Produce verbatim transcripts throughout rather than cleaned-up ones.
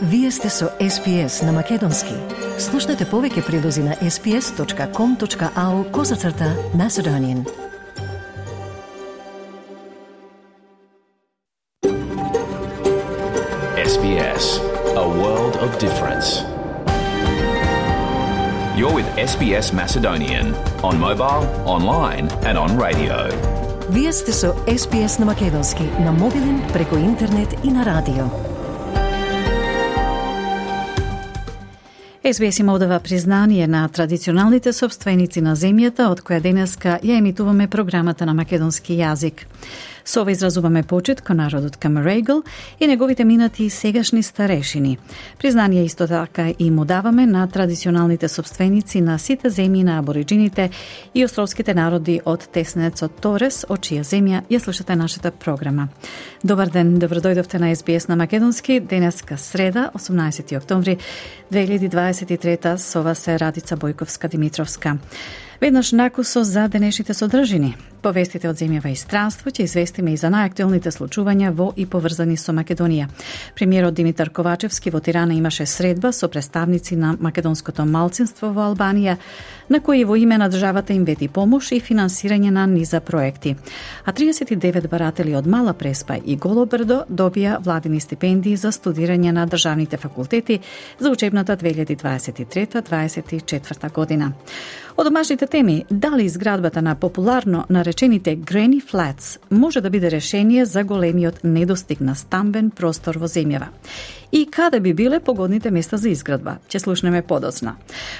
Вие сте со Ес Би Ес на Македонски. Слушнете повеќе прилози на ес би ес точка ком точка ау козацрта Macedonian. Ес Би Ес, a world of difference. You're with Ес Би Ес Macedonian on mobile, online and on radio. Вие сте со Ес Би Ес на Македонски, на мобилен, преку интернет и на радио. Ес Би Ес има одава признание на традиционалните собственици на земјата, од која денеска ја емитуваме програмата на македонски јазик. Со ова изразуваме почит кон народот Камерегл и неговите минати и сегашни старешини. Признание исто така и му даваме на традиционалните собственици на сите земји на абориджините и островските народи од теснецот Торес, од чија земја ја слушате нашата програма. Добар ден, добродојдовте на Ес Би Ес на Македонски, денеска среда, осумнаесети октомври две илјади дваесет и трета, со вас се Радица Бојковска-Димитровска. Веднаш накусо за денешните содржини. По вестите од земјава и странство ќе известиме и за најактуелните случувања во и поврзани со Македонија. Премиерот Димитар Ковачевски во Тирана имаше средба со представници на македонското малцинство во Албанија, на кои во име на државата им вети помош и финансирање на низа проекти. А триесет и девет баратели од Мала Преспа и Голо Брдо добија владини стипендии за студирање на државните факултети за учебната две илјади дваесет и трета дваесет и четврта година. Од домашните теми, дали изградбата на популарно наречените Granny Flats може да биде решение за големиот недостиг на стамбен простор во земјава? И каде би биле погодните места за изградба? Ќе слушнеме подоцна.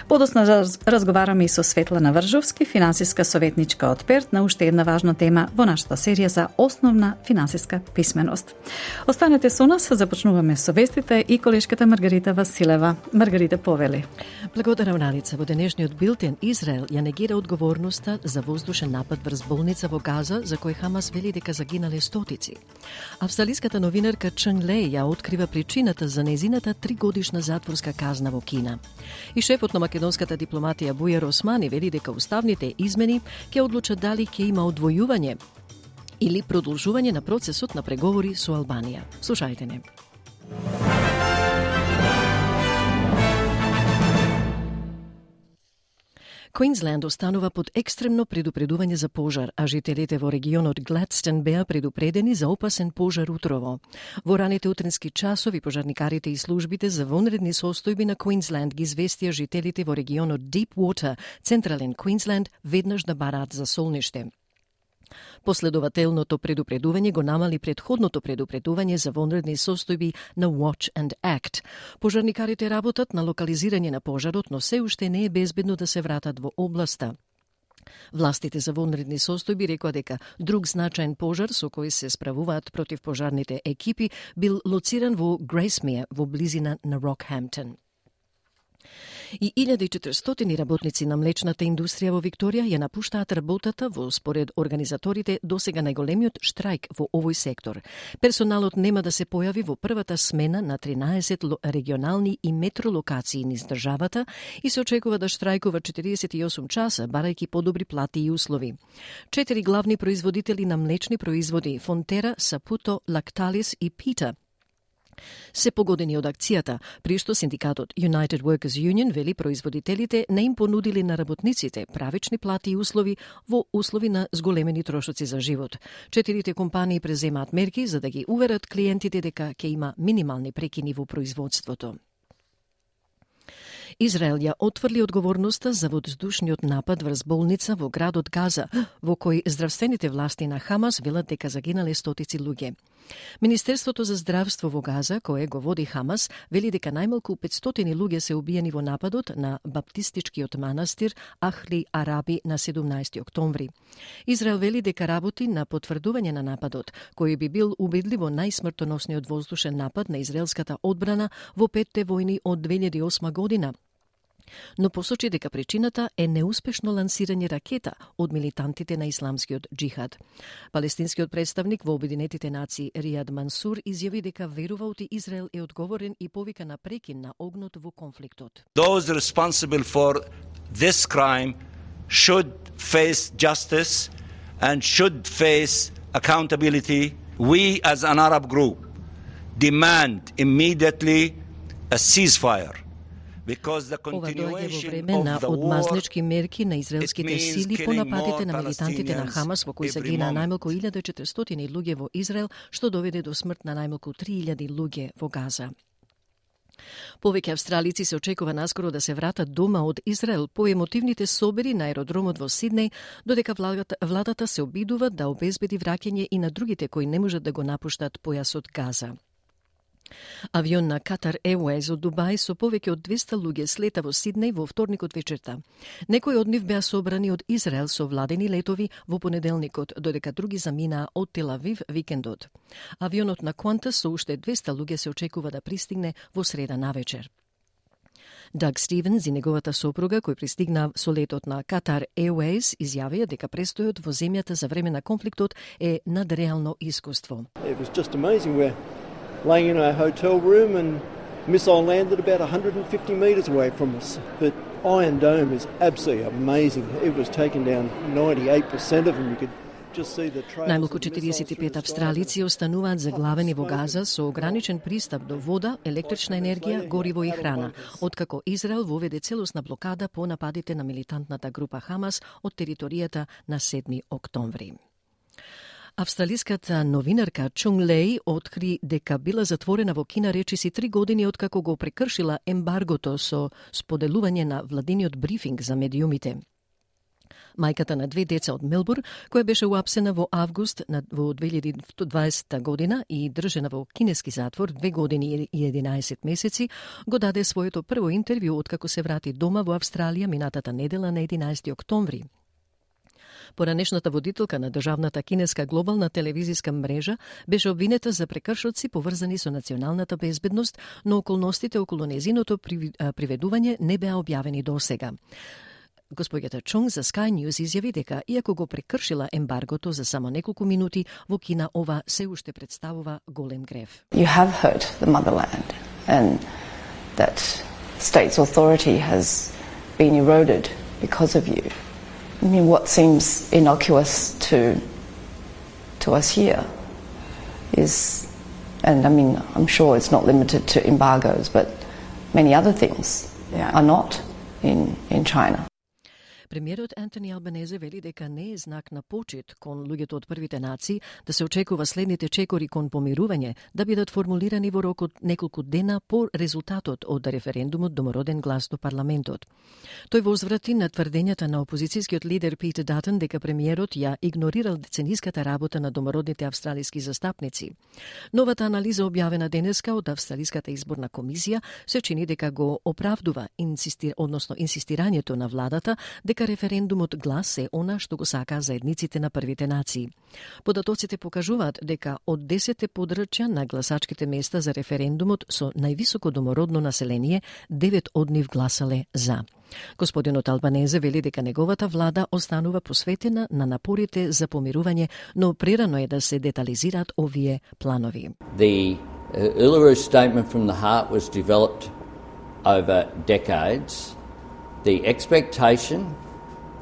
Подоцна раз, разговараме и со Светлана Вржовски, финансиска советничка од Перт, на уште една важна тема во нашата серија за основна финансиска писменост. Останете со нас, започнуваме со вестите и колешката Маргарита Василева. Маргарита, повели. Благодарам, Раница. Во денешниот билтен Израел ја негира одговорноста за воздушен напад врз болница во Газа, за кој Хамас вели дека загинале стотици. Австралиската новинарка Чен Леј ја открива причината за незината тригодишна затворска казна во Кина. И шефот на македонската дипломатија Бујар Османи вели дека уставните измени ќе одлучат дали ќе има одвојување или продолжување на процесот на преговори со Албанија. Слушајте не. Квинсленд останува под екстремно предупредување за пожар, а жителите во регионот Гледстон беа предупредени за опасен пожар утрово. Во раните утрински часови пожарникарите и службите за вонредни состојби на Квинсленд ги известија жителите во регионот Deepwater, централен Квинсленд, веднаш да бараат за солниште. Последователното предупредување го намали предходното предупредување за вонредни состојби на Watch and Act. Пожарникарите работат на локализирање на пожарот, но се уште не е безбедно да се вратат во областа. Властите за вонредни состојби рекоа дека друг значаен пожар со кој се справуваат против пожарните екипи бил лоциран во Грейсмиер, во близина на Рокхемптон. И илјада и четиристотини работници на млечната индустрија во Викторија ја напуштаат работата во според организаторите досега најголемиот штрајк во овој сектор. Персоналот нема да се појави во првата смена на тринаесет регионални и метро локации низ државата и се очекува да штрајкува четириесет и осум часа, барајќи подобри плати и услови. Четири главни производители на млечни производи, Фонтера, Сапуто, Лакталис и Пита, се погодени од акцијата, при што синдикатот United Workers Union вели производителите не им понудили на работниците правични плати и услови во услови на зголемени трошоци за живот. Четирите компании преземаат мерки за да ги уверат клиентите дека ќе има минимални прекини во производството. Израел ја отврли одговорноста за воздушниот напад врз болница во градот Газа, во кој здравствените власти на Хамас велат дека загинале стотици луѓе. Министерството за здравство во Газа, кое го води Хамас, вели дека најмалку петстотини луѓе се убиени во нападот на баптистичкиот манастир Ахли Араби на седумнаесети октомври. Израел вели дека работи на потврдување на нападот, кој би бил убедливо најсмртоносниот воздушен напад на израелската одбрана во петте војни од две илјади и осма година. Но посочи дека причината е неуспешно лансирање ракета од милитантите на исламскиот джихад. Палестинскиот представник во Обединетите нации Ријад Мансур изјави дека верува од Израел е одговорен и повика на прекин на огнот во конфликтот. Those responsible for this crime should face justice and should face accountability. We as an Arab group demand immediately a ceasefire. Ова доаѓа во време на одмазнички мерки на израелските сили по нападите на милитантите на Хамас, во кои се гина најмалку илјада и четиристотини луѓе во Израел, што доведе до смрт на најмалку три илјади луѓе во Газа. Повеќе австралици се очекува наскоро да се вратат дома од Израел по емотивните собери на аеродромот во Сиднеј, додека владата, владата се обидува да обезбеди враќање и на другите кои не можат да го напуштат појасот Газа. Авион на Qatar Airways од Дубај со повеќе од двеста луѓе слета во Сиднеј во вторникот вечерта. Некои од нив беа собрани од Израел со владени летови во понеделникот, додека други заминаа од Тел Авив викендот. Авионот на Qantas со уште двеста луѓе се очекува да пристигне во среда навечер. Даг Стивенс и неговата сопруга, кој пристигна со летот на Qatar Airways, изјавија дека престојот во земјата за време на конфликтот е надреално искуство. It was just amazing. We're laying in our hotel room and missile landed about one hundred fifty metres away from us. But Iron Dome is absolutely amazing. It was taken down ninety-eight percent of them. You could just see the trails. Најмалку четириесет и пет австралици остануваат заглавени во Газа со ограничен пристап до вода, електрична енергија, гориво и храна, откако Израел воведе целосна блокада по нападите на милитантната група Хамас од територијата на седми октомври. Австралиската новинарка Чунг Леј откри дека била затворена во Кина речиси три години откако го прекршила ембаргото со споделување на владиниот брифинг за медиумите. Мајката на две деца од Мелбурн, која беше уапсена во август во две илјади и дваесета година и држена во кинески затвор две години и единаесет месеци, го даде своето прво интервју откако се врати дома во Австралија минатата недела на единаесети октомври. Поранешната водителка на државната кинеска глобална телевизиска мрежа беше обвинета за прекршоци поврзани со националната безбедност, но околностите околу незиното приведување не беа објавени досега. Господјата Чунг за Sky News изјави дека, иако го прекршила ембаргото за само неколку минути, во Кина ова се уште представува голем грев. You have hurt the motherland and that state's authority has been eroded because of you. I mean, what seems innocuous to to us here is, and I mean, I'm sure it's not limited to embargoes, but many other things yeah. are not in, in China. Премиерот Антони Албанезе вели дека не е знак на почит кон луѓето од првите нации да се очекува следните чекори кон помирување да бидат формулирани во рок од неколку дена по резултатот од референдумот домороден глас до парламентот. Тој возврати на тврдењата на опозицијскиот лидер Питер Датон дека премиерот ја игнорирал децениската работа на домородните австралиски застапници. Новата анализа објавена денеска од Австралиската изборна комисија се чини дека го оправдува инсистир, односно инсистирањето на владата дека референдумот глас е она што го сака заедниците на првите нации. Податоците покажуваат дека од десетте подрачја на гласачките места за референдумот со највисоко домородно население, девет од нив гласале за. Господинот Албанезе вели дека неговата влада останува посветена на напорите за помирување, но прерано е да се детализираат овие планови. The uh, Uluru Statement from the Heart was developed over decades. The expectation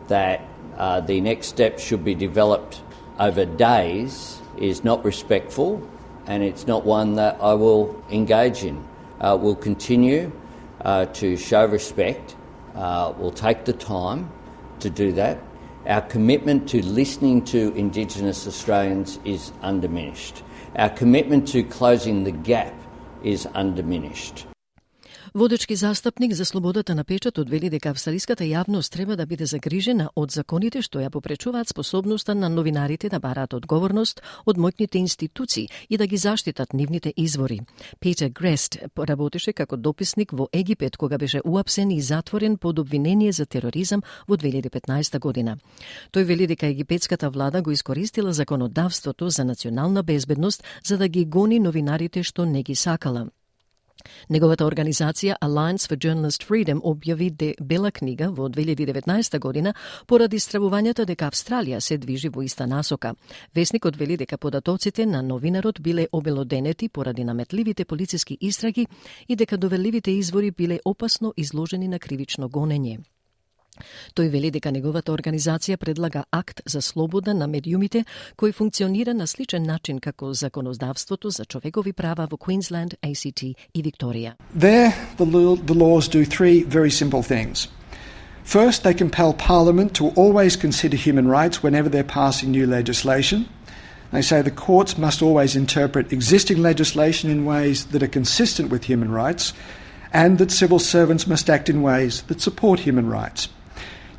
that uh, the next step should be developed over days is not respectful, and it's not one that I will engage in. Uh, we'll continue uh, to show respect. Uh, we'll take the time to do that. Our commitment to listening to Indigenous Australians is undiminished. Our commitment to closing the gap is undiminished. Водечки застапник за слободата на печатот вели дека австралиската јавност треба да биде загрижена од законите што ја попречуваат способноста на новинарите да бараат одговорност од моќните институции и да ги заштитат нивните извори. Петер Грест работеше како дописник во Египет кога беше уапсен и затворен под обвинение за тероризам во две илјади и петнаесета година. Тој вели дека египетската влада го искористила законодавството за национална безбедност за да ги гони новинарите што не ги сакала. Неговата организација Alliance for Journalist Freedom објави де бела книга во две илјади и деветнаесета година поради стравувањата дека Австралија се движи во иста насока. Весникот вели дека податоците на новинарот биле обелоденети поради наметливите полициски истраги и дека доверливите извори биле опасно изложени на кривично гонење. Тој вели дека неговата организација предлага акт за слобода на медиумите кој функционира на сличен начин како законодавството за човекови права во Queensland, A C T и Викторија. There, the, law, the laws do three very simple things. First, they compel Parliament to always consider human rights whenever they're passing new legislation. They say the courts must always interpret existing legislation in ways that are consistent with human rights, and that civil servants must act in ways that support human rights.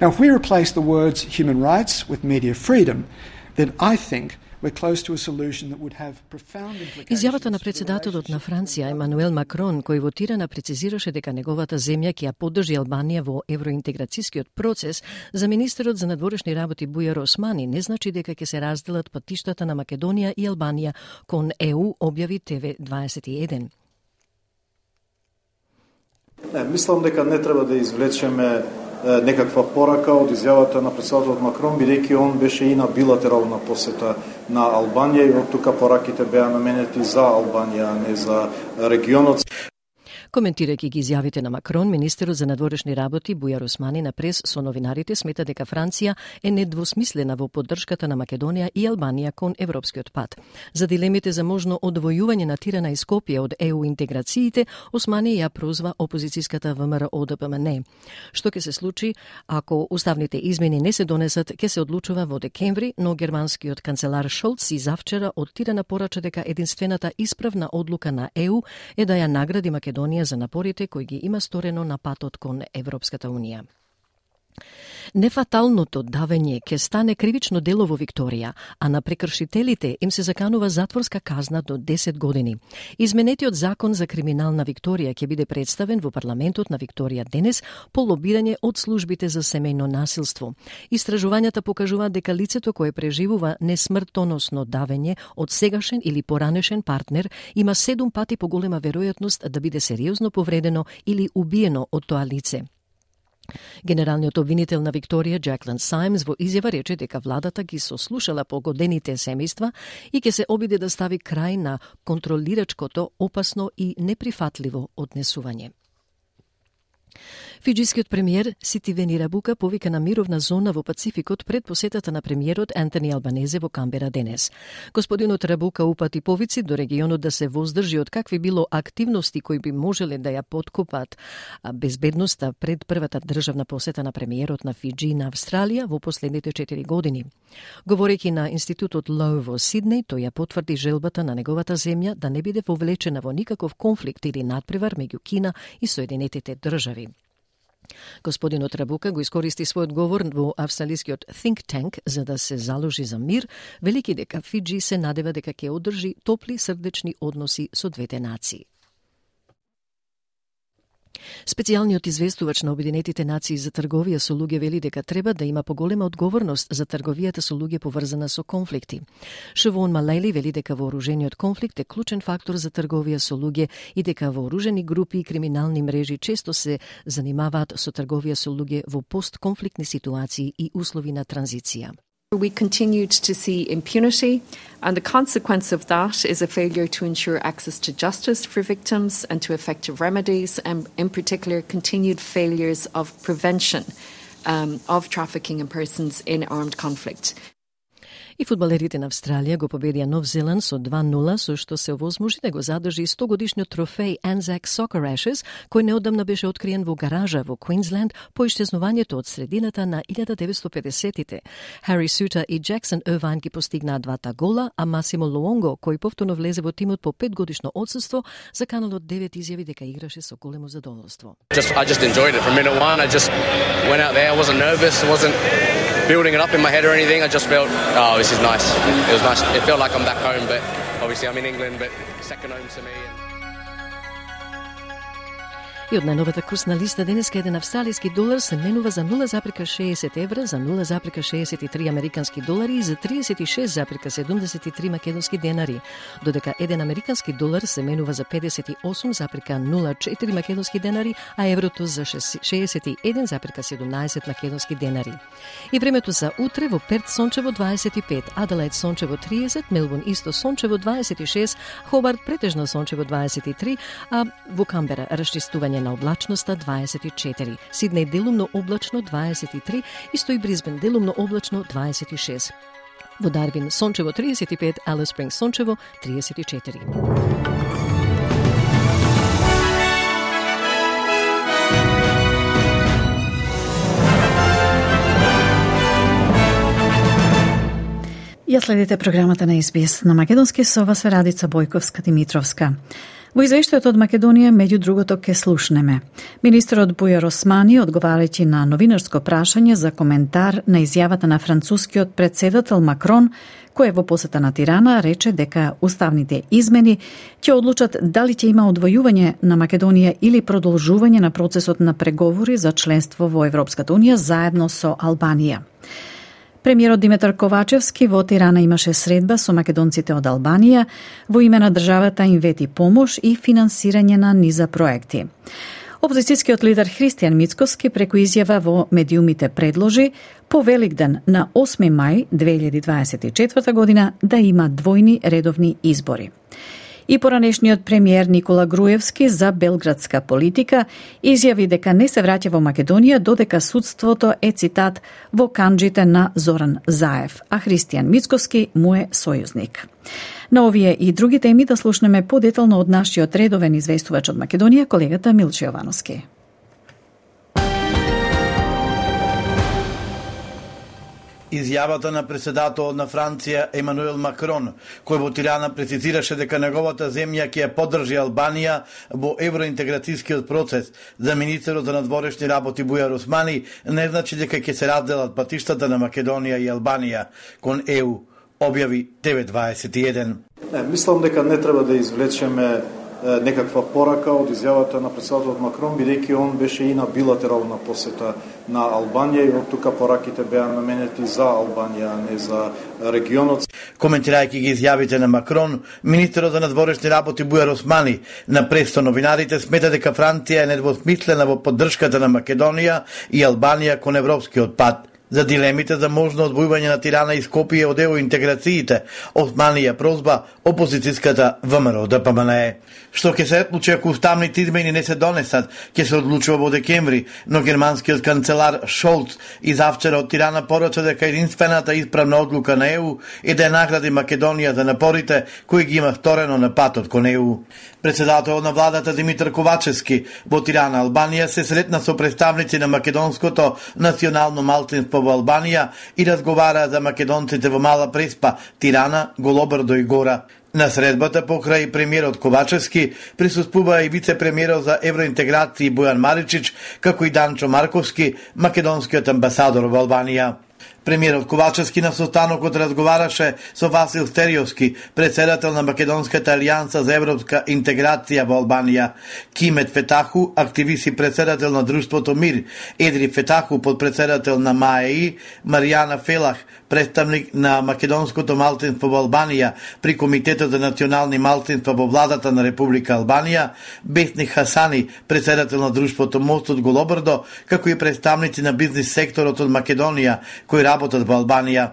Now, if we replace the words human rights with media freedom, then I think we're close to a solution that would have profound implications. Изјавата на председателот на Франција Емануел Макрон, кој вотирана, прецизираше дека неговата земја ќе ја поддржи Албанија во евроинтеграцијскиот процес, за министерот за надворешни работи Бујар Османи не значи дека ќе се разделат патиштата на Македонија и Албанија кон Е У, објави Т В дваесет и еден. Не, мислам дека не треба да извлечеме некаква порака од изјавата на председателот Макрон, бидејќи он беше и на билатерална посета на Албанија и од тука пораките беа наменети за Албанија, а не за регионот. Коментирајќи ги изјавите на Макрон, министерот за надворешни работи Бујар Османи на прес со новинарите смета дека Франција е недвосмислена во поддршката на Македонија и Албанија кон европскиот пат. За дилемите за можно одвојување на Тирана и Скопје од Е У интеграциите, Османи ја прозва опозицијската В М Р О Д П М Н. Што ќе се случи ако уставните измени не се донесат, ќе се одлучува во декември, но германскиот канцелар Шолц и завчера од Тирана порача дека единствената исправна одлука на Е У е да ја награди Македонија за напорите кои ги има сторено на патот кон Европската Унија. Нефаталното давење ќе стане кривично дело во Викторија, а на прекршителите им се заканува затворска казна до десет години. Изменетиот закон за криминална Викторија ќе биде представен во парламентот на Викторија денес по лобирање од службите за семејно насилство. Истражувањата покажуваат дека лицето кое преживува несмртоносно давење од сегашен или поранешен партнер има седум пати поголема веројатност да биде сериозно повредено или убиено од тоа лице. Генералниот обвинител на Викторија, Джаклин Сајмс, во изјава рече дека владата ги сослушала погодените семејства и ќе се обиде да стави крај на контролирачкото, опасно и неприфатливо однесување. Фиджискиот премиер Ситивени Рабука повика на мировна зона во Пацификот пред посетата на премиерот Антони Албанезе во Камбера денес. Господинот Рабука упати повици до регионот да се воздржи од какви било активности кои би можеле да ја подкопат безбедноста пред првата државна посета на премиерот на Фиджи на Австралија во последните четири години. Говорејќи на институтот Лоу во Сиднеј, тој ја потврди желбата на неговата земја да не биде вовлечена во никаков конфликт или надпревар меѓу Кина и Соединетите држави. Господинот Рабука го искористи својот говор во австралискиот think tank за да се заложи за мир, велики дека Фиджи се надева дека ќе одржи топли срдечни односи со двете нации. Специјалниот известувач на Обединетите нации за трговија со луѓе вели дека треба да има поголема одговорност за трговијата со луѓе поврзана со конфликти. Шевон Малели вели дека вооружениот конфликт е клучен фактор за трговија со луѓе и дека вооружени групи и криминални мрежи често се занимаваат со трговија со луѓе во постконфликтни ситуации и услови на транзиција. We continued to see impunity, and the consequence of that is a failure to ensure access to justice for victims and to effective remedies, and in particular continued failures of prevention um, of trafficking in persons in armed conflict. И фудбалерите на Австралија го победија Нов Зеланд со два нула, со што се овозможи да го задржи сто годишниот трофеј Anzac Soccer Ashes, кој неодамна беше откриен во гаража во Квинсленд по иштезнувањето од средината на илјада деветстотини и педесетите. Хари Сута и Джексон Ирвайн ги постигнаа двата гола, а Масимо Луонго, кој повторно влезе во тимот по петгодишно отсуство, за каналот девет изјави дека играше со големо задоволство. Just, I just enjoyed it from minute one. I just went out there. I wasn't nervous. I wasn't building it up in my head or anything. I just felt, oh, this is nice. It was nice. It felt like I'm back home, but obviously I'm in England, but second home to me. И од најновата курсна листа денеска еден австралиски долар се менува за нула запирка шеесет евра, за нула запирка шеесет и три американски долари и за тридесет и шест запирка седумдесет и три македонски денари, додека еден американски долар се менува за педесет и осум запирка нула четири македонски денари, а еврото за шеесет и еден запирка седумнаесет македонски денари. И времето за утре: во Перт сончево дваесет и пет, Аделаид сончево триесет, Мелбурн исто сончево дваесет и шест, Хобарт претежно сончево дваесет и три, а во Камбера расчистување степења на облачноста дваесет и четири, Сиднеј делумно облачно дваесет и три, исто и Брисбен делумно облачно дваесет и шест. Во Дарвин сончево триесет и пет, Алис Спрингс сончево триесет и четири. Ја следите програмата на Ес Би Ес на македонски со вас Радица Бојковска-Димитровска. Во извештајот од Македонија, меѓу другото, ке слушнеме. Министерот Бујар Османи, одговарајќи на новинарско прашање за коментар на изјавата на францускиот претседател Макрон, кој во посета на Тирана рече дека уставните измени ќе одлучат дали ќе има одвојување на Македонија или продолжување на процесот на преговори за членство во Европската унија заедно со Албанија. Премиерот Димитар Ковачевски во Тирана имаше средба со македонците од Албанија, во име на државата им вети помош и финансирање на низа проекти. Опозицијскиот лидер Христијан Мицкоски преку изјава во медиумите предложи по Великден на осми мај две илјади дваесет и четврта година да има двојни редовни избори. И поранешниот премиер Никола Груевски за белградска политика изјави дека не се враќа во Македонија додека судството е, цитат, во канџите на Зоран Заев, а Христијан Мицкоски му е сојузник. На овие и други теми да слушнеме подетално од нашиот редовен известувач од Македонија, колегата Милче Јовановски. Изјавата на претседателот на Франција Емануел Макрон, кој во Тирана прецизираше дека неговата земја ќе ја поддржи Албанија во евроинтеграцијскиот процес, за министерот за надворешни работи Бујар Османи не значи дека ќе се разделат патиштата на Македонија и Албанија кон Е У, објави Т В дваесет и еден. Не, мислам дека не треба да извлечеме некаква порака од изјавата на претседателот Макрон, бидејќи он беше и на билатерална посета на Албанија и од тука пораките беа наменети за Албанија, а не за регионот. Коментирајќи ги изјавите на Макрон, министерот за надворешни работи Бујар Османи на прес со новинарите смета дека Франција е недвосмислена во поддршката на Македонија и Албанија кон европскиот пат. За дилемите за можно одвојување на Тирана и Скопје од евроинтеграциите, Османи ја прозба опозицијската В М Р Д П М Н Е. Што ќе се случи ако уставните измени не се донесат, ќе се одлучува во декември, но германскиот канцелар Шолц изавчера од Тирана порача дека единствената исправна одлука на Е У е да ја награди Македонија за напорите кои ги има сторено на патот кон Е У. Председателот на владата Димитар Ковачевски во Тирана, Албанија, се сретна со представници на македонското национално малцинство во Албанија и разговара за македонците во Мала Преспа, Тирана, Голобрдо и Гора. На средбата покрај премиерот Ковачевски присуствува и вице-премиерот за евроинтеграција Бојан Маричич, како и Данчо Марковски, македонскиот амбасадор во Албанија. Премиерот Ковачевски на состанокот разговараше со Васил Стериовски, председател на Македонската алијанса за европска интеграција во Албанија, Кимет Фетаху, активист и председател на друштвото Мир, Едри Фетаху, подпредседател на М А Е И, Маријана Фелах, представник на македонското малцинство во Албанија при Комитетот за национални малцинства во владата на Република Албанија, Бесник Хасани, председател на друштвото Мост од Голобрдо, како и представници на бизнис секторот од Македонија кои работат во Албанија.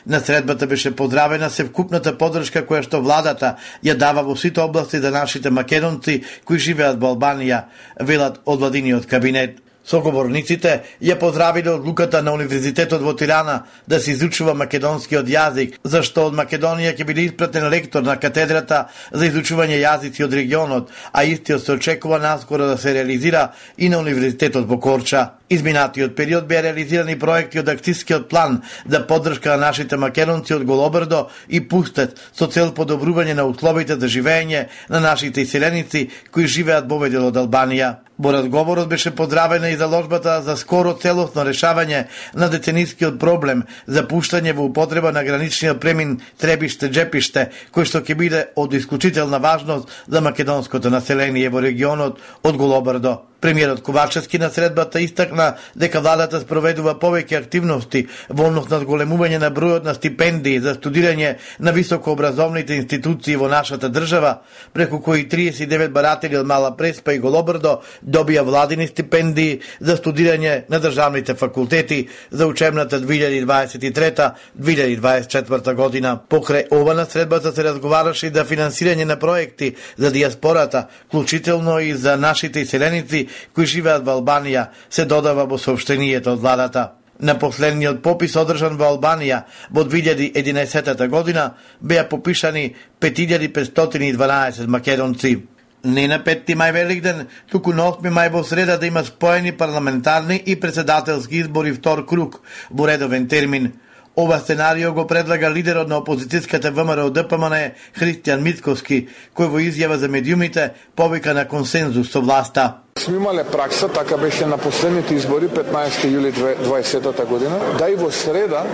На средбата беше поздравена севкупната поддршка која што владата ја дава во сите области за нашите македонци кои живеат во Албанија, велат од владиниот кабинет. Соговорниците ја поздравиле одлуката на Универзитетот во Тирана да се изучува македонскиот јазик, зашто од Македонија ќе биде испратен лектор на катедрата за изучување јазици од регионот, а истиот се очекува наскоро да се реализира и на Универзитетот во Корча. Изминатиот период беа реализирани проекти од акцијскиот план за поддршка на нашите македонци од Голобрдо и Пустет со цел подобрување на условите за живење на нашите иселеници кои живеат во овој дел од Албанија. Во разговорот беше поздравена и заложбата за скоро целосно решавање на деценискиот проблем за пуштање во употреба на граничниот премин Требиште-Джепиште, кој што ќе биде од исклучителна важност за македонското население во регионот од Голобрдо. Премиерот Ковачевски на средбата истакна дека владата спроведува повеќе активности во однос на зголемување на бројот на стипендии за студирање на високообразовните институции во нашата држава, преку кои триесет и девет баратели од Мала Преспа и Голобрдо добија владини стипендии за студирање на државните факултети за учебната две илјади дваесет и трета - две илјади дваесет и четврта година. Покрај ова на средбата се разговараше и за финансирање на проекти за дијаспората, вклучително и за нашите иселеници кои живеат во Албанија, се додава во соопштението од владата. На последниот попис одржан во Албанија во две илјади и единаесета година беа попишани пет илјади петстотини и дванаесет македонци. Не на петти мај Великден, туку на осми мај во среда да има споени парламентарни и председателски избори втор круг во редовен термин. Ова сценарио го предлага лидерот на опозицијската ВМРО Д П М Н Христијан Мицкоски, кој во изјава за медиумите повика на консензус со власта. Сме имале пракса, така беше на последните избори петнаесети јули дваесетата година, да и во среда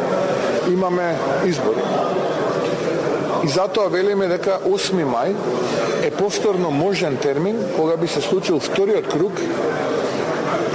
имаме избори. И затоа велиме дека осми мај е повторно можен термин кога би се случил вториот круг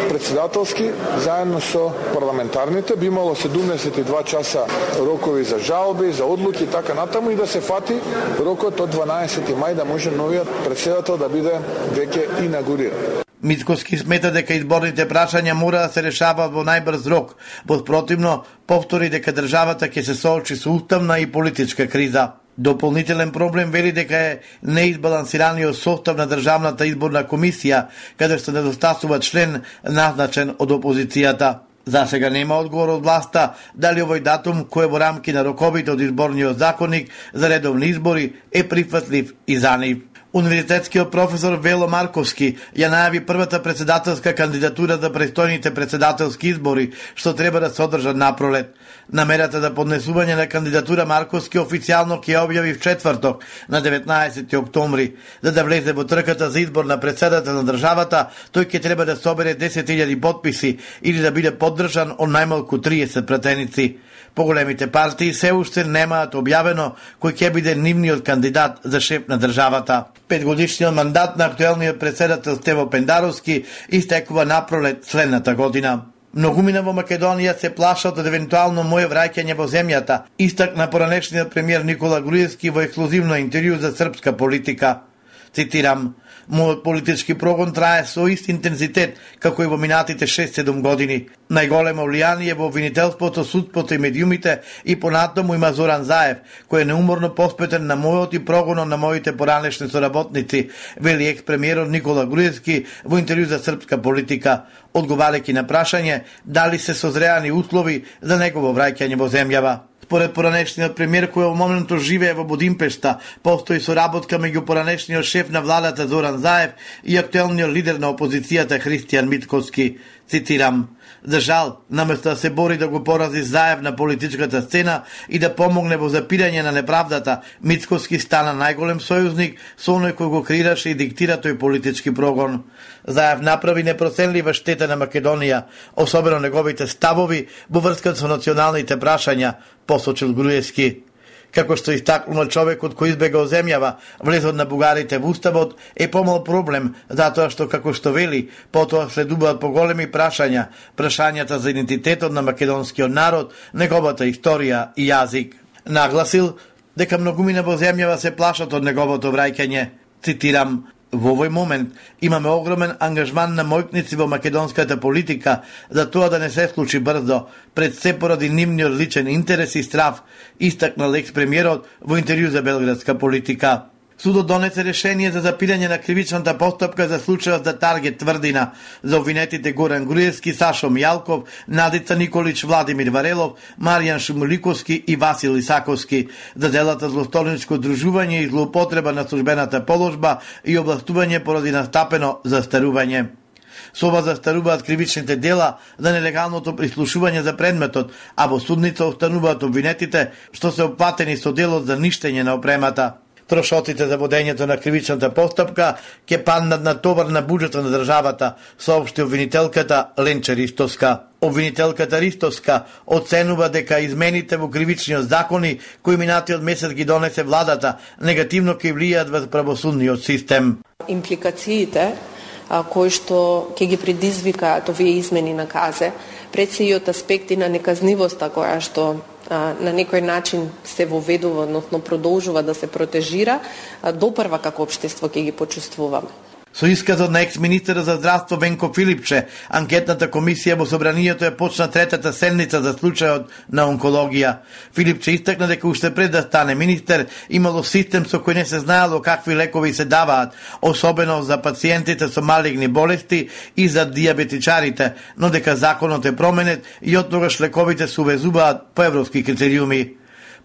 председателски заедно со парламентарните, би имало седумдесет и два часа рокови за жалби, за одлуки и така натаму и да се фати рокот од дванаесети мај да може новиот председател да биде веќе инаугуриран. Мицкоски смета дека изборните прашања мора да се решаваат во најбрз рок, во противно повтори дека државата ќе се соочи со уставна и политичка криза. Дополнителен проблем вели дека е неизбалансираниот состав на Државната изборна комисија, каде што недостасува член назначен од опозицијата. За сега нема одговор од власта дали овој датум, кој е во рамки на роковите од изборниот законник за редовни избори, е прифатлив и за нив. Универзитетскиот професор Вело Марковски ја најави првата председателска кандидатура за престојните председателски избори, што треба да се одржат напролет. Намерата за поднесување на кандидатура Марковски официјално ќе ја објави в четврток, на деветнаесети октомври. За да влезе во трката за избор на председател на државата, тој ќе треба да собере десет илјади потписи или да биде поддржан од најмалку триесет пратеници. Поголемите партии се уште немаат објавено кој ќе биде нивниот кандидат за шеф на државата. Петгодишниот мандат на актуелниот председател Стево Пендаровски истекува напролет следната година. Многумина во Македонија се плашат од евентуално моје враќање во земјата, истакна поранешниот премиер Никола Груевски во ексклузивно интервју за српска политика. Цитирам: "Мојот политички прогон трае со ист интензитет како и во минатите шест-седум години. Најголемо влијание во обвинителството, судството и медиумите и понатаму има Зоран Заев, кој е неуморно посветен на мојот и прогонот на моите поранешни соработници", вели екс-премиерот Никола Груевски во интервју за српска политика, одговарајќи на прашање дали се созреани услови за негово враќање во земјава. Според поранешниот премиер, кој во моментот живее во Будимпешта, постои соработка меѓу поранешниот шеф на владата Зоран Заев и актуелниот лидер на опозицијата Христијан Мицкоски. Цитирам: "За жал, наместо да се бори да го порази Заев на политичката сцена и да помогне во запирање на неправдата, Мицкоски стана најголем сојузник со оној кој го креираше и диктира тој политички прогон. Заев направи непроценлива штета на Македонија, особено неговите ставови во врска со националните прашања", посочил Груевски. Како што истакнува човекот кој избегал земјава, влезот на бугарите во уставот е помал проблем, затоа што, како што вели, потоа следуваат поголеми прашања, прашањата за идентитетот на македонскиот народ, неговата историја и јазик. Нагласил дека многумина во земјава се плашат од неговото враќање. Цитирам: "Во овој момент имаме огромен ангажман на мојкници во македонската политика за тоа да не се случи брзо, пред се поради нивниот личен интерес и страв", истакнал екс-премиерот во интервју за Белградска политика. Судот донесе решение за запирање на кривичната постапка за случајот за Таргет Тврдина за обвинетите Горан Груевски, Сашо Мијалков, Надица Николич, Владимир Варелов, Маријан Шумуликовски и Васил Исаковски за делата злосторничко дружување и злоупотреба на службената положба и областување поради настапено застарување. Со ова застаруваат кривичните дела за нелегалното прислушување за предметот, а во судница остануваат обвинетите што се опатени со делот за ништење на опремата. Трошоците за водењето на кривичната постапка ќе паднат на товар на буџетот на државата, соопшти обвинителката Ленче Ристовска. Обвинителката Ристовска оценува дека измените во кривичниот закони кои минатиот месец ги донесе владата негативно ќе влијаат врз правосудниот систем. Импликациите кои што ќе ги предизвикаат овие измени на КАЗЕ, пред се и од аспекти на неказнивоста која што на некој начин се воведува, односно продолжува да се протежира, допрва како општество ќе ги почувствуваме. Со исказот на екс-министерот за здравство Венко Филипче, анкетната комисија во собранието ја почна третата седница за случајот на онкологија. Филипче истакна дека уште пред да стане министер имало систем со кој не се знаело какви лекови се даваат, особено за пациентите со малигни болести и за диабетичарите, но дека законот е променет и оттогаш лековите се увезуваат по европски критериуми.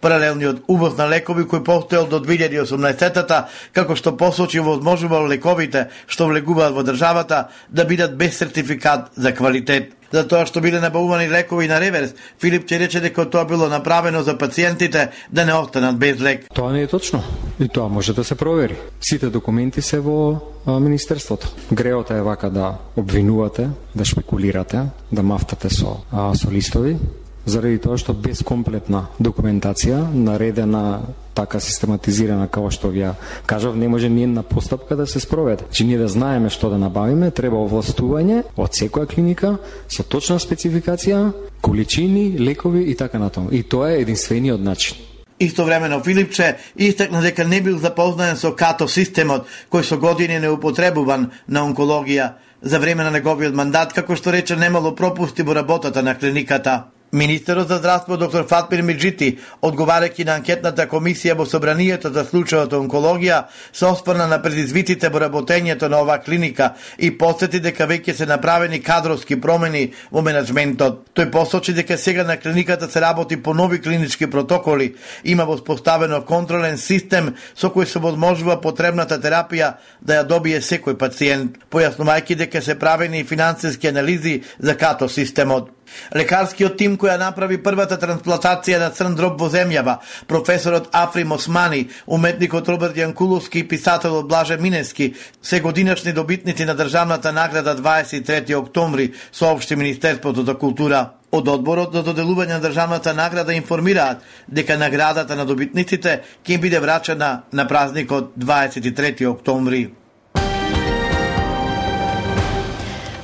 Паралелниот увоз на лекови кој постоел до две илјади и осумнаесетта, како што посочи, возможувал лековите што влегуваат во државата да бидат без сертификат за квалитет. За тоа што биле набавувани лекови на реверс, Филипче рече дека тоа било направено за пациентите да не останат без лек. Тоа не е точно и тоа може да се провери. Сите документи се во а, Министерството. Греота е вака да обвинувате, да шпекулирате, да мафтате со, а, со листови, заради тоа што без комплетна документација, наредена така систематизирана како што ја кажав, не може ни една постапка да се спроведе. Че ние да знаеме што да набавиме, треба овластување од секоја клиника со точна спецификација, количини, лекови и така натаму. И тоа е единствениот начин. Истовремено Филипче истакна дека не бил запознаен со КАТО системот, кој со години не употребуван на онкологија. За време на неговиот мандат, како што рече, немало пропусти во работата на клиниката. Министерот за здравство доктор Фатмир Меджити, одговарајќи на анкетната комисија во собранието за случајот онкологија, се осврна на предизвиците во работењето на оваа клиника и посети дека веќе се направени кадровски промени во менаџментот. Тој посочи дека сега на клиниката се работи по нови клинички протоколи, има воспоставено контролен систем со кој се возможува потребната терапија да ја добие секој пациент, појаснувајќи дека се правени финансиски анализи за КАТО системот. Лекарскиот тим која направи првата трансплантација на црн дроб во земјава, професорот Африм Османи, уметникот Роберт Јанкуловски и писателот Блаже Минески, се годинашни добитници на државната награда дваесет и трети октомври, соопшти Министерството за култура. Од одборот за доделување на државната награда информираат дека наградата на добитниците ќе им биде врачена на празникот дваесет и трети октомври.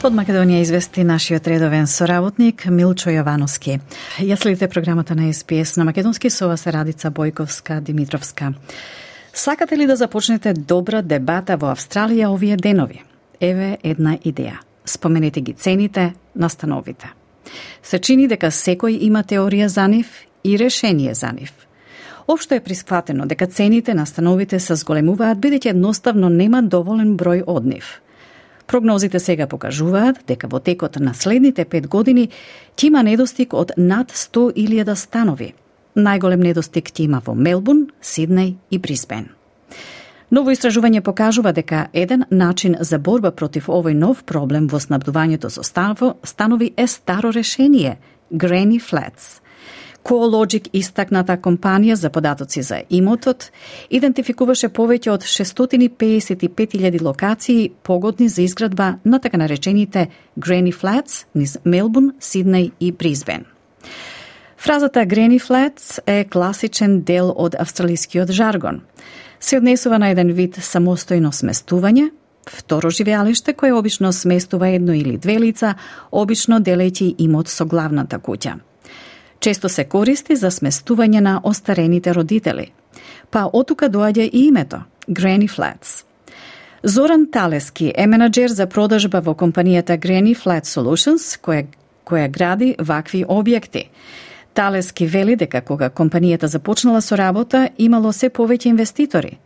Од Македонија извести нашиот редовен соработник Милчо Јовановски. Ја следите програмата на Ес Би Ес на македонски, со вас е Радица Бојковска Димитровска. Сакате ли да започнете добра дебата во Австралија овие денови? Еве една идеја. Споменете ги цените на становите. Се чини дека секој има теорија за нив и решение за нив. Општо е присфатено дека цените на становите се зголемуваат бидејќи едноставно нема доволен број од нив. Прогнозите сега покажуваат дека во текот на следните пет години ќе има недостиг од над сто илјади станови. Најголем недостиг ќе има во Мелбурн, Сиднеј и Брисбен. Ново истражување покажува дека еден начин за борба против овој нов проблем во снабдувањето со станови е старо решение – Granny Flats. CoreLogic, истакната компанија за податоци за имотот, идентификуваше повеќе од шестстотини педесет и пет илјади локации погодни за изградба на така наречените Granny Flats низ Мелбурн, Сиднеј и Брисбен. Фразата Granny Flats е класичен дел од австралискиот жаргон. Се однесува на еден вид самостојно сместување, второ живеалиште кое обично сместува едно или две лица, обично делејќи имот со главната куќа. Често се користи за сместување на остарените родители. Па отука доаѓа и името – Granny Flats. Зоран Талески е менаџер за продажба во компанијата Granny Flat Solutions, која, која гради вакви објекти. Талески вели дека кога компанијата започнала со работа, имало се повеќе инвеститори.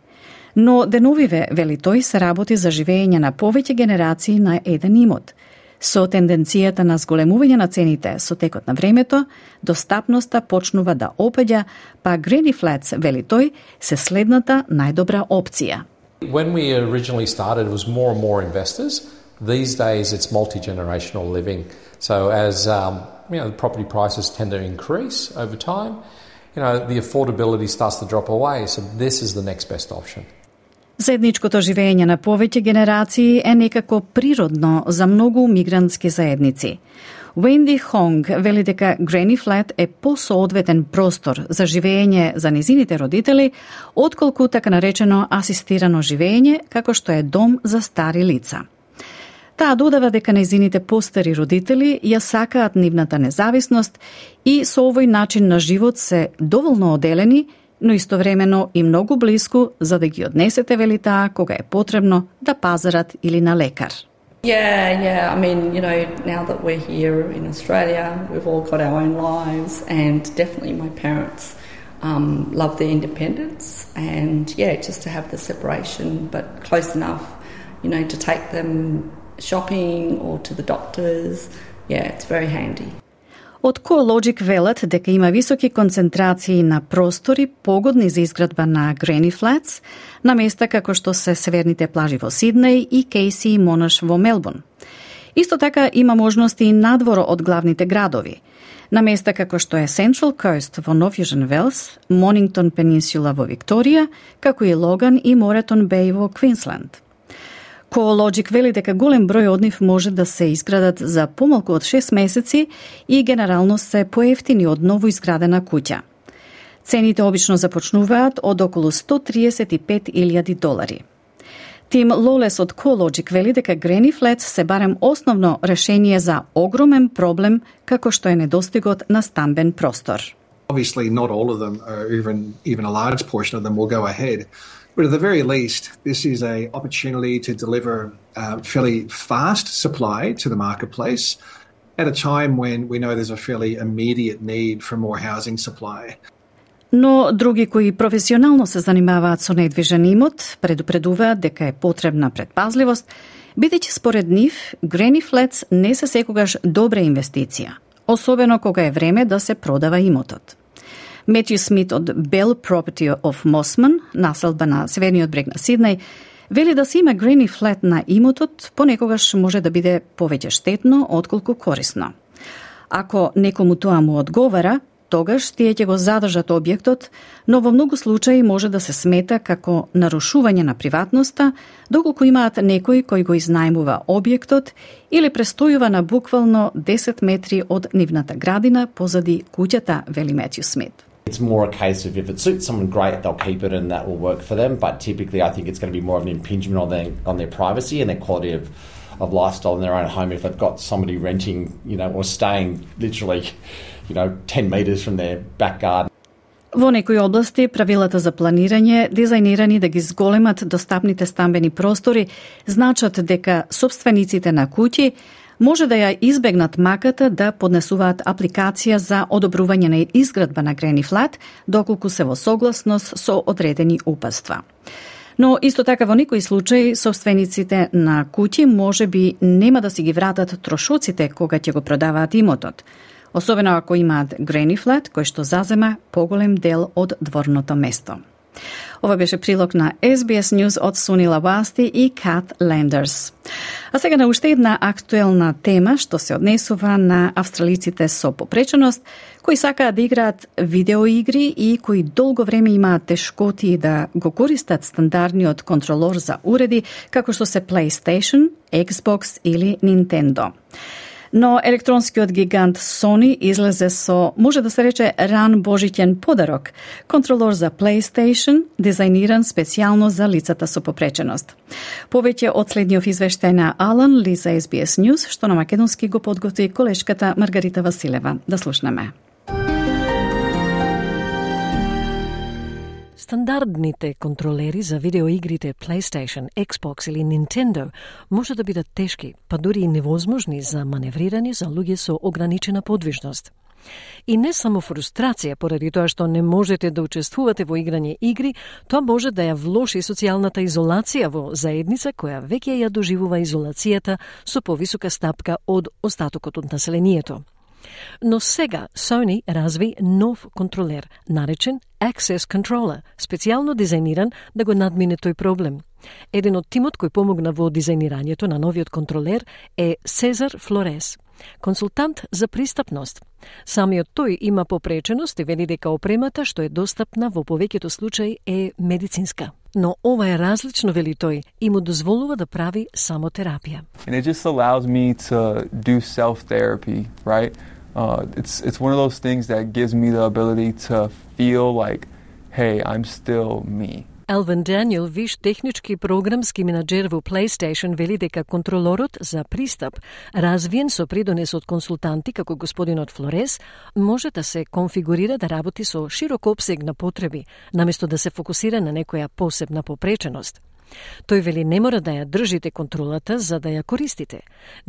Но деновиве, вели тој, се работи за живење на повеќе генерации на еден имот. Со тенденцијата на зголемување на цените со текот на времето, достапноста почнува да опаѓа, па Granny Flats, вели тој, се следната најдобра опција. When we originally started, it was more and more investors. These days, it's multi-generational living. So as um, you know, the property prices tend to increase over time, you know, the affordability starts to drop away. So this is the next best option. Заедничкото живење на повеќе генерации е некако природно за многу мигрантски заедници. Wendy Hong вели дека Granny Flat е посоодветен простор за живење за низините родители, отколку така наречено асистирано живење, како што е дом за стари лица. Таа додава дека низините постари родители ја сакаат нивната независност и со овој начин на живот се доволно оделени но истовремено и многу блиску за да ги однесете, вели таа, кога е потребно да пазарат или на лекар. Yeah, yeah. I mean, you know, now that we're here in Australia, we've all got our own lives, and definitely my parents um, love their independence, and yeah, just to have the separation, but close enough, you know, to take them shopping or to the doctors. Yeah, it's very handy. Од CoreLogic велат дека има високи концентрации на простори погодни за изградба на Granny Flats на места како што се северните плажи во Сиднеј и Кейси и Монаш во Мелбурн. Исто така има можности и надворо од главните градови. На места како што е Central Coast во Нов Јужен Велс, Монингтон Пенинсула во Викторија, како и Логан и Моретон Беј во Квинсленд. CoreLogic вели дека голем број од нив може да се изградат за помалку од шест месеци и генерално се поевтини од ново изградена куќа. Цените обично започнуваат од околу сто триесет и пет илјади долари. Тим Лолес од CoreLogic вели дека Granny Flats се барем основно решение за огромен проблем како што е недостигот на стамбен простор. Obviously not all of them, or even even a large portion of them will go ahead. But at the very least, this is an opportunity to deliver a fairly fast supply to the marketplace at a time when we know there's a fairly immediate need for more housing supply. Но други кои професионално се занимаваат со недвижен имот предупредуваат дека е потребна предпазливост, бидејќи според нив Granny Flats не се секогаш добра инвестиција, особено кога е време да се продава имотот. Метју Смит од Bell Property of Mosman, населба на северниот брег на Сиднеј, вели да се има Granny Flat на имотот понекогаш може да биде повеќе штетно отколку корисно. Ако некому тоа му одговара, тогаш тие ќе го задржат објектот, но во многу случаи може да се смета како нарушување на приватноста, доколку имаат некој кој го изнајмува објектот или престојува на буквално десет метри од нивната градина позади куќата, вели Метју Смит. It's more a case of if it suits someone great, they'll keep it and that will work for them. But typically, I think it's going to be more of an impingement on their on their privacy and their quality of, of lifestyle in their own home. If they've got somebody renting, you know, or staying literally, you know, ten meters from their back garden. Во некои области правилата за планирање, дизајнирани да ги зголемат достапните стамбени простори, значат дека собствениците на куќи може да ја избегнат маката да поднесуваат апликација за одобрување на изградба на Granny Flat, доколку се во согласност со одредени упатства. Но исто така во некои случаи собствениците на куќи може би нема да си ги вратат трошоците кога ќе го продаваат имотот, особено ако имаат Granny Flat кој што зазема поголем дел од дворното место. Ова беше прилог на Ес Би Ес News од Сунила Басти и Кат Лендерс. А сега на уште една актуелна тема што се однесува на австралиците со попреченост, кои сакаат да играат видеоигри и кои долго време имаат тешкоти да го користат стандардниот контролор за уреди, како што се PlayStation, Xbox или Nintendo. Но електронскиот гигант Sony излезе со, може да се рече, ран божиќен подарок, контролор за PlayStation, дизајниран специјално за лицата со попреченост. Повеќе од следниот извештај на Алан Ли за Ес Би Ес News, што на македонски го подготви колешката Маргарита Василева. Да слушнеме. Стандардните контролери за видеоигрите PlayStation, Xbox или Nintendo може да бидат тешки, па дури и невозможни за маневрирање за луѓе со ограничена подвижност. И не само фрустрација поради тоа што не можете да учествувате во играње игри, тоа може да ја влоши социјалната изолација во заедница која веќе ја доживува изолацијата со повисока стапка од остатокот од населението. Но сега Sony разви нов контролер, наречен Access Controller, специјално дизајниран да го надмине тој проблем. Еден од тимот кој помогна во дизајнирањето на новиот контролер е Сезар Флорес, консултант за пристапност. Самиот тој има попреченост и вели дека опремата што е достапна во повеќето случаи е медицинска. Но ова е различно, вели тој, и му дозволува да прави само терапија. And it just allows me to do self-therapy, right? Uh, it's it's one of those things that gives me the ability to feel like, hey, I'm still me. Алвин Даниел, виш технички програмски менаџер во PlayStation, вели дека контролорот за пристап, развиен со придонес од консултанти како господинот Флорес, може да се конфигурира да работи со широк опсег на потреби, наместо да се фокусира на некоја посебна попреченост. Тој вели не мора да ја држите контролата за да ја користите.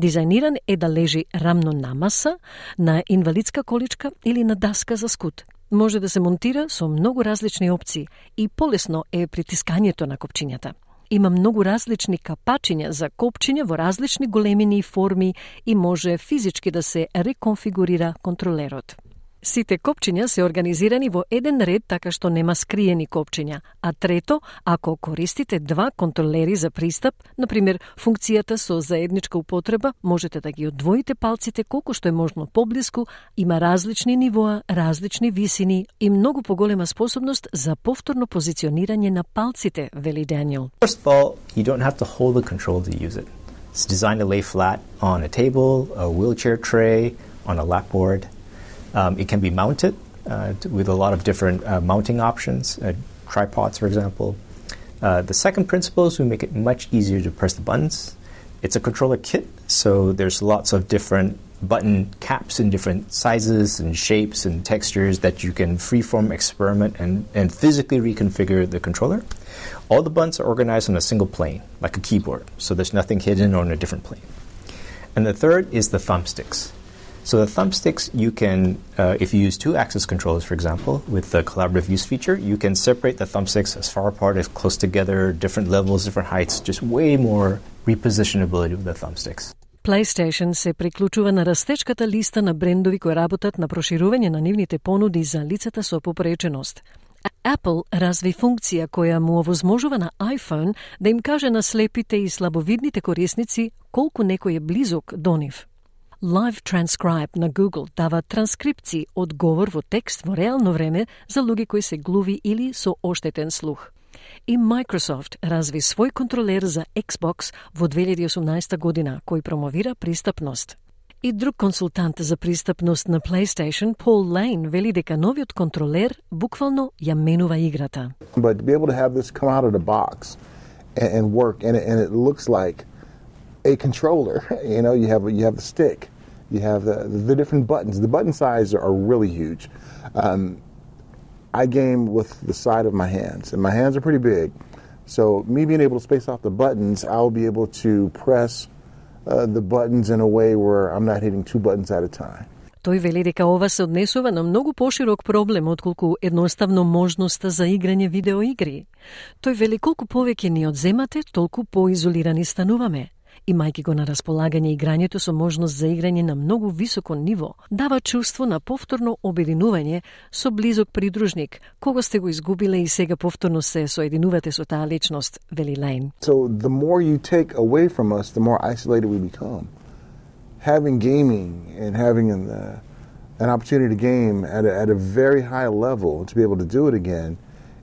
Дизајниран е да лежи рамно на маса, на инвалидска количка или на даска за скут. Може да се монтира со многу различни опции и полесно е притискањето на копчињата. Има многу различни капачиња за копчиња во различни големини и форми и може физички да се реконфигурира контролерот. Сите копчиња се организирани во еден ред така што нема скриени копчиња, а трето, ако користите два контролери за пристап, например функцијата со заедничка употреба, можете да ги одвоите палците колку што е можно поблиску, има различни нивоа, различни висини и многу поголема способност за повторно позиционирање на палците, вели Даниел. First of all, you don't have to hold the control to use it. It's designed to lay flat on a table, a wheelchair tray, on a lap board. Um, it can be mounted uh, with a lot of different uh, mounting options, uh, tripods, for example. Uh, the second principle is we make it much easier to press the buttons. It's a controller kit, so there's lots of different button caps in different sizes and shapes and textures that you can freeform experiment and, and physically reconfigure the controller. All the buttons are organized on a single plane, like a keyboard, so there's nothing hidden on a different plane. And the third is the thumbsticks. So the thumbsticks, you can, uh, if you use two-axis controllers, for example, with the collaborative use feature, you can separate the thumbsticks as far apart as close together, different levels, different heights, just way more repositionability with the thumbsticks. PlayStation се приклучува на растечката листа на брендови кои работат на проширување на нивните понуди за лицата со попреченост. Apple разви функција која му овозможува на iPhone да им каже на слепите и слабовидните корисници колку некој е близок до нив. Live Transcribe на Google дава транскрипции од говор во текст во реално време за луѓе кои се глуви или со оштетен слух. И Microsoft разви свој контролер за Xbox во две илјади и осумнаесета година, кој промовира пристапност. И друг консултант за пристапност на PlayStation, Paul Lane, вели дека новиот контролер буквално ја менува играта. But to be able to have this come out of the box and, and work, and it, and it looks like a controller. You know, you have you have the stick, you have the the different buttons. The button sizes are really huge. Um, I game with the side of my hands, and my hands are pretty big. So me being able to space out the buttons, I'll be able to press uh, the buttons in a way where I'm not hitting two buttons at a time. Тој вели дека ова се однесува на многу поширок проблем отколку едноставно можноста за играње видеоигри. Тој вели колку повеќе ни одземате, толку поизолирани стануваме. Имајќи го на располагање играњето со можност за играње на многу високо ниво, дава чувство на повторно обединување со близок придружник, кого сте го изгубиле и сега повторно се соединувате со таа личност, вели Лейн. So the more you take away from us, the more isolated we become. Having gaming and having an, uh, an opportunity to game at a, at a very high level to be able to do it again,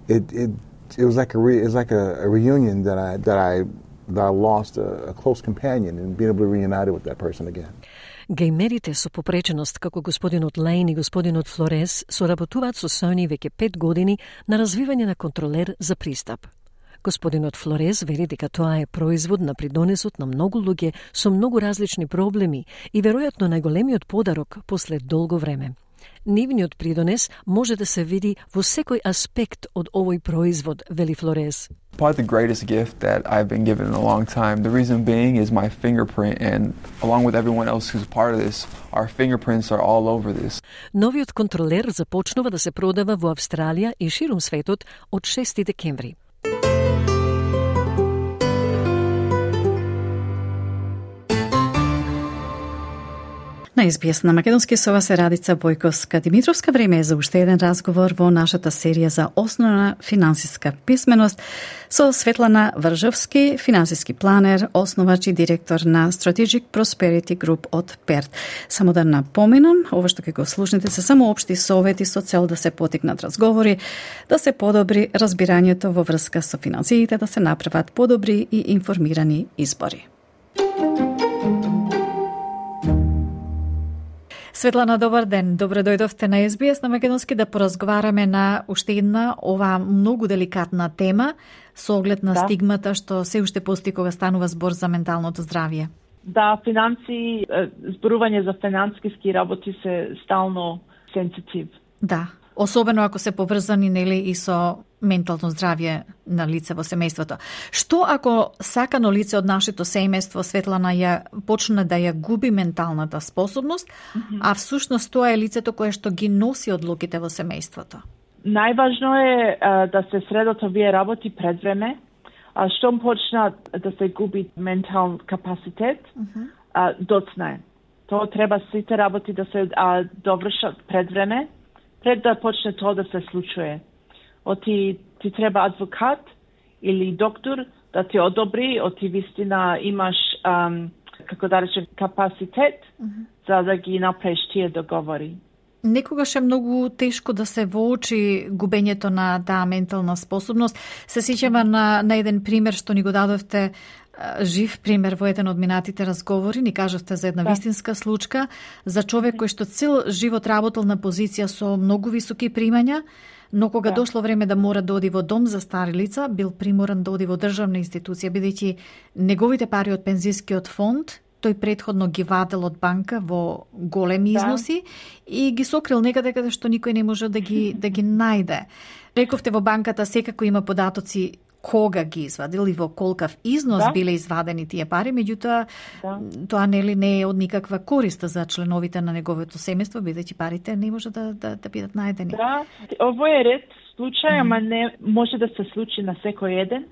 it it it was like a re, it was like a, a reunion that I that I that I lost a, a close companion and being able to reunite with that person again. Геймерите со попреченост како господинот Лейн и господинот Флорес соработуваат со Sony веќе пет години на развивање на контролер за пристап. Господинот Флорес вели дека тоа е производ на придонесот на многу луѓе со многу различни проблеми и веројатно најголемиот подарок после долго време. Нивниот придонес може да се види во секој аспект од овој производ, вели Флорес. Probably the greatest gift that I've been given in a long time. The reason being is my fingerprint, and along with everyone else who's part of this, our fingerprints are all over this. Новиот контролер започнува да се продава во Австралија и ширум светот од шести декември. На Ес Би Ес на македонски со вас е Радица Бојковска Димитровска. Време е за уште еден разговор во нашата серија за основна финансиска писменост со Светлана Вржовски, финансиски планер, основач и директор на Strategic Prosperity Group од Перт. Само да напоменам, ова што ќе го слушнете се само општи совети со цел да се потикнат разговори, да се подобри разбирањето во врска со финансиите, да се направат подобри и информирани избори. Светлана, добар ден. Добро дојдовте на Ес Би Ес на Македонски да поразговараме на уште една ова многу деликатна тема со оглед на да. стигмата што се уште постои кога станува збор за менталното здравје. Да, финанси, зборување за финансиски работи се стално сензитив. Да, особено ако се поврзани нели и со ментално здравје на лице во семејството. Што ако сакано лице од нашето семејство, Светлана, ја почне да ја губи менталната способност, mm-hmm. а всушност тоа е лицето кое што ги носи одлуките во семејството? Најважно е а, да се средат овие работи пред време, а штом почнат да се губи ментален капацитет, mm-hmm. а, доцна е. Тоа треба сите работи да се а, довршат пред време, пред да почне тоа да се случува. Оти ти треба адвокат или доктор да ти одобри, оти вистина имаш, ам, како да речем, капацитет mm-hmm. за да ги направиш тие договори. Некогаш е многу тешко да се воочи губењето на таа ментална способност. Се сеќаме на, на еден пример што ни го дадовте, жив пример во еден од минатите разговори, ни кажавте за една да. вистинска случка, за човек кој што цел живот работел на позиција со многу високи примања, но кога да. дошло време да мора да оди во дом за стари лица, бил приморан да оди во државна институција, бидејќи неговите пари од пензискиот фонд тој предходно ги вадел од банка во големи износи да. и ги сокрил некаде каде што никој не може да ги да ги најде. Рековте во банката секако има податоци кога ги извадил и во колкав износ да. биле извадени тие пари, меѓутоа да. тоа нели не е од никаква корист за членовите на неговото семејство, бидејќи парите не може да да, да бидат најдени. Да, ово е ред случај, ама не може да се случи на секој еден.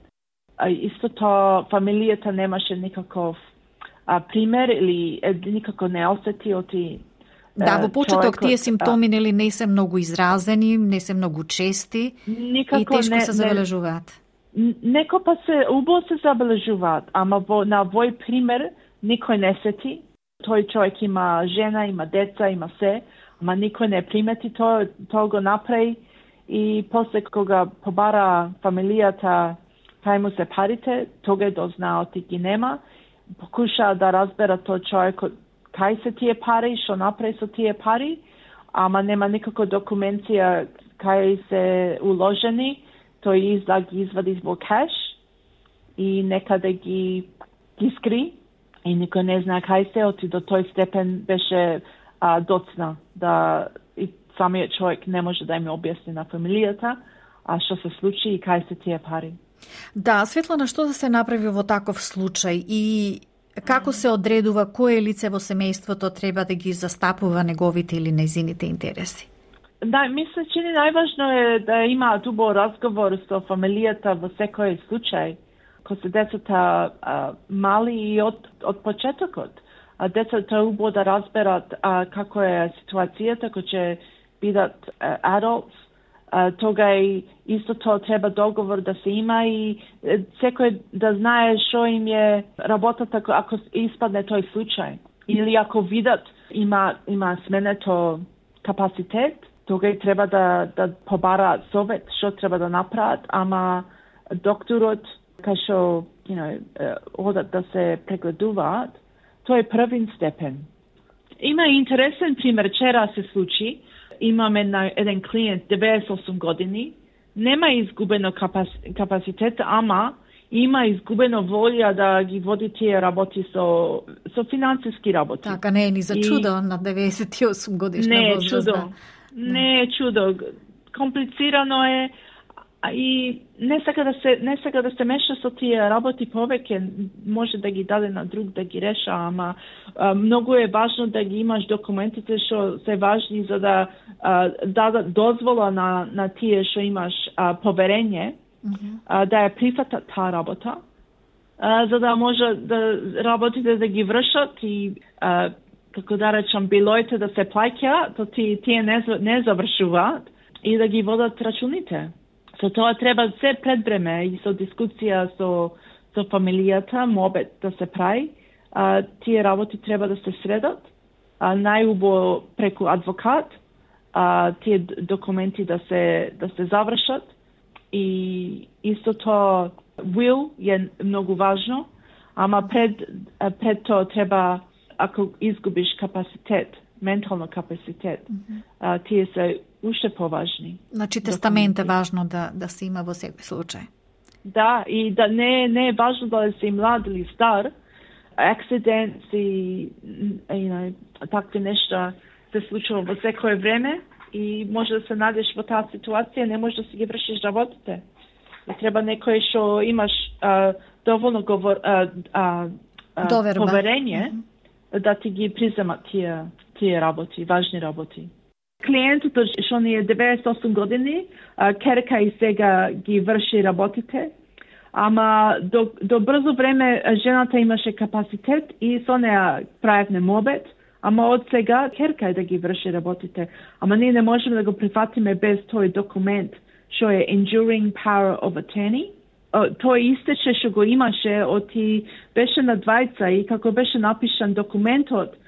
А исто тоа фамилијата немаше никаков а, пример или е, никако не осети оти. Да, во почеток тие симптоми нели не се многу изразени, не се многу чести никако и тешко не, се забележуваат. Неко па се убаво се забележуваат, ама во, на вој пример никој не сети. Тој човек има жена, има деца, има се, ама никој не примети тоа, тоа го направи и после кога побара фамилијата кај му се парите, тога дознаа оти ги нема, покуша да разбера тој човек кај се тие пари, што направи со тие пари, ама нема никако документација кај се уложени. Тој изда ги извади во кеш и некаде ги, ги скри и никој не знае кај се, оти до тој степен беше а, доцна да и самиот човек не може да им објасни на фамилијата а што се случи и кај се тие пари. Да, Светлана, што да се направи во таков случај и како се одредува кое лице во семејството треба да ги застапува неговите или нејзините интереси? Да, мисля, че најважно е да има дубо разговор со фамилијата во секој случај, кога се децата а, мали и од, од почетокот. А децата убаво да разберат а, како е ситуацијата, кога ќе бидат а, adults, а, тога и исто тоа треба договор да се има и секој да знае што им е работата ако испадне тој случај. Или ако видат има, има сменето капацитет, тога и треба да, да побараат совет што треба да направат, ама докторот, кај што you know, одат да се прегледуваат, тоа е првин степен. Има интересен пример, вчера се случи, имаме на еден клиент, деветдесет и осум години, нема изгубено капас, капацитет, ама има изгубено волја да ги води тие работи со, со финансиски работи. Така, не е ни за чудо и... на деветдесет и осум годишна не возраст. Не е чудо. Не е чудо. Комплицирано е и не сака да се не сака да се меша со тие работи повеќе, може да ги даде на друг да ги реша, ама а, многу е важно да ги имаш документите што се важни за да а, дадат дозвола на на тие што имаш а, поверење, mm-hmm. а, да ја прифатат таа работа, а, за да може да работите да ги вршат и а, како да речам, билоите да се плаќа, то ти, тие не, не завршуваат и да ги водат рачуните. Со тоа треба се пред време и со дискусија со, со фамилијата, мобет да се прави. А, тие работи треба да се средат, а, најубо преку адвокат, а, тие документи да се, да се завршат и исто тоа will е многу важно, ама пред, пред тоа треба ако изгубиш капацитет ментално капацитет. Mm-hmm. А, тие се уште поважни. Значи тестамент е важно да, да се има во секој случај. Да, и да не, не е важно да си млад или стар. Акцидент и you know, такви нешта се случува во секое време и може да се најдеш во таа ситуација, не можеш да си ги вршиш работите. И треба некој што имаш а, доволно говор, а, а, а, поверење mm-hmm. да ти ги приземат тие, тие работи, важни работи. Клиентот што ни е деветдесет и осум години, керка и сега ги врши работите, ама до, до брзо време жената имаше капацитет и со неа правевме мобет, ама од сега керка е да ги врши работите. Ама ние не можеме да го прифатиме без тој документ, што е Enduring Power of Attorney. Тој истече што го имаше, оти беше на двајца и како беше напишан документот,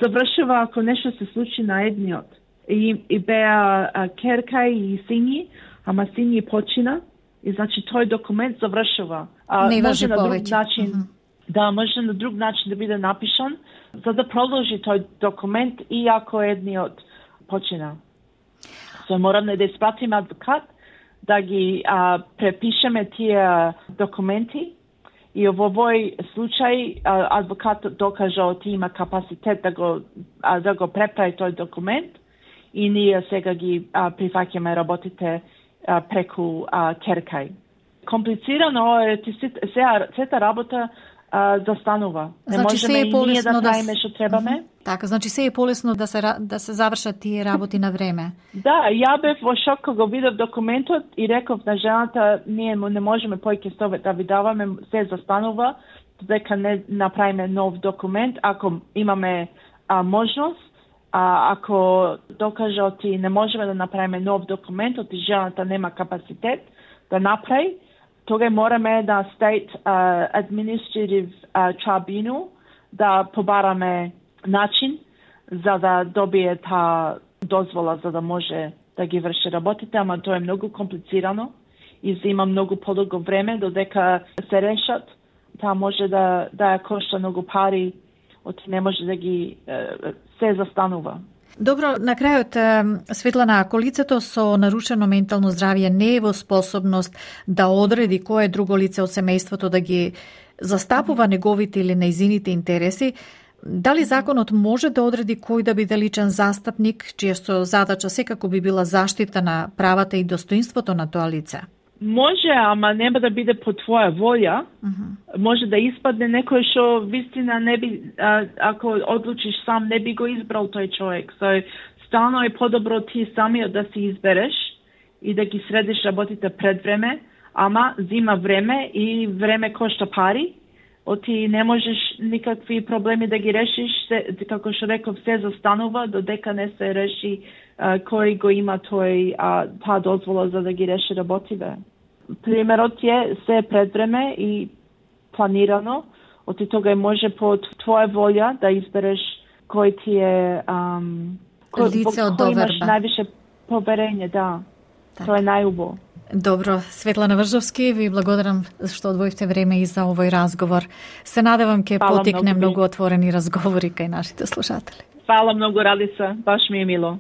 завршува ако нешто се случи на едниот. И, и беа а, керка и сини, ама сини почина, и значи тој документ завршува. А, Не може на друг повеќе. начин, Mm-hmm. да, може на друг начин да биде напишан, за да продолжи тој документ и ако едниот почина. So, мораме да испратиме адвокат, да ги а, препишеме тие документи, и во овој случај а, адвокатот докажа оти има капацитет да го, а, да го преправи тој документ, и ние сега ги а, прифаќаме работите а, преку а, керкај. Комплицирано е, сега сета работа а, застанува. Не Значи, можеме се е и ние полесно да да правиме с- што требаме. Така, значи се е полесно да се ра- да се завршат тие работи на време. Да, ја бев во шок кога го видов документот и реков на жената, ние не можеме поиќе совет да ви даваме, се застанува, дека не направиме нов документ, ако имаме а, можност, а ако докаже оти не можеме да направиме нов документ, оти жената нема капацитет да направи, тога мораме да State uh, Administrative uh, Tribunal да побараме начин за да добие та дозвола за да може да ги врши работите, ама тоа е многу комплицирано и зема многу подолго време додека се решат. Таа може да да ја кошта многу пари, оти не може да ги се застанува. Добро, на крајот, е, Светлана, ако лицето со нарушено ментално здравје не е во способност да одреди кое друго лице од семејството да ги застапува неговите или нејзините интереси, дали законот може да одреди кој да биде личен застапник, чијато задача секако би била заштита на правата и достоинството на тоа лице? Може, ама нема да биде по твоја волја. Uh-huh. Може да испадне некој што вистина не би, а, ако одлучиш сам, не би го избрал тој човек. So, стално е подобро ти самиот да си избереш и да ги средиш работите пред време, ама зима време и време кошта пари. Оти не можеш никакви проблеми да ги решиш, се, како што реков, се застанува додека не се реши а, кој го има тој а, таа дозвола за да ги реши работиве. Примерот е се пред време и планирано, оти тога може по твоја волја да избереш кој ти е ам, кој, лице од кој имаш доверба. највише поверење, да. Так. Тоа е најубаво. Добро, Светлана Вржовски, ви благодарам што одвоивте време и за овој разговор. Се надевам ќе Фала потекне многу, многу отворени разговори кај нашите слушатели. Фала многу, Радица, баш ми е мило.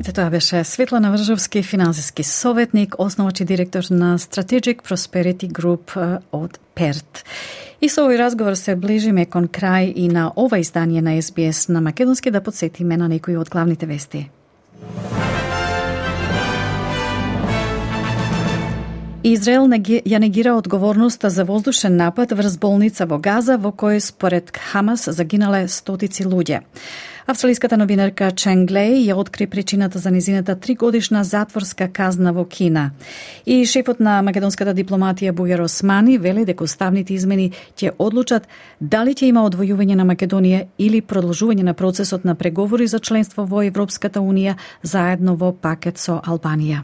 Ете, тоа беше Светлана Вржовски, финансиски советник, основач и директор на Strategic Prosperity Group од Перт. И со овој разговор се ближиме кон крај и на ова издание на Ес Би Ес на македонски, да подсетиме на некои од главните вести. Израел ја негира одговорноста за воздушен напад врз болница во Газа, во кој според Хамас загинале стотици луѓе. Австралиската новинарка Чен Глеј ја откри причината за низината тригодишна затворска казна во Кина. И шефот на македонската дипломатија Бујар Османи вели дека уставните измени ќе одлучат дали ќе има одвојување на Македонија или продолжување на процесот на преговори за членство во Европската унија заедно во пакет со Албанија.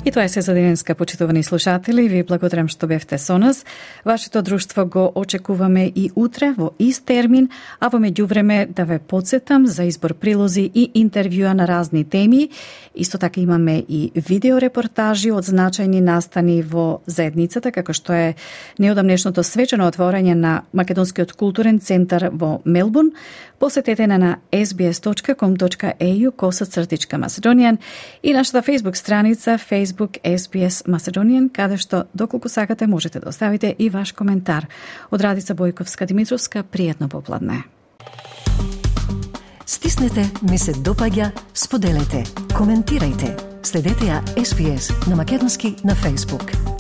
И тоа е се за денеска, почитувани слушатели. Ви благодарам што бевте со нас. Вашето друштво го очекуваме и утре во ист термин, а во меѓувреме да ве подсетам за избор прилози и интервјуа на разни теми. Исто така имаме и видеорепортажи од значајни настани во заедницата, како што е неодамнешното свечено отворање на Македонскиот културен центар во Мелбурн. Посетете на на ес би ес точка ком точка е ю косацртичка Macedonian и нашата Facebook страница Facebook ес би ес Macedonian, каде што доколку сакате можете да оставите и ваш коментар. Од Радица Бојковска-Димитровска, пријатно попладне. Стиснете, ми се допаѓа, споделете, коментирајте. Следете ја ес би ес на македонски на Facebook.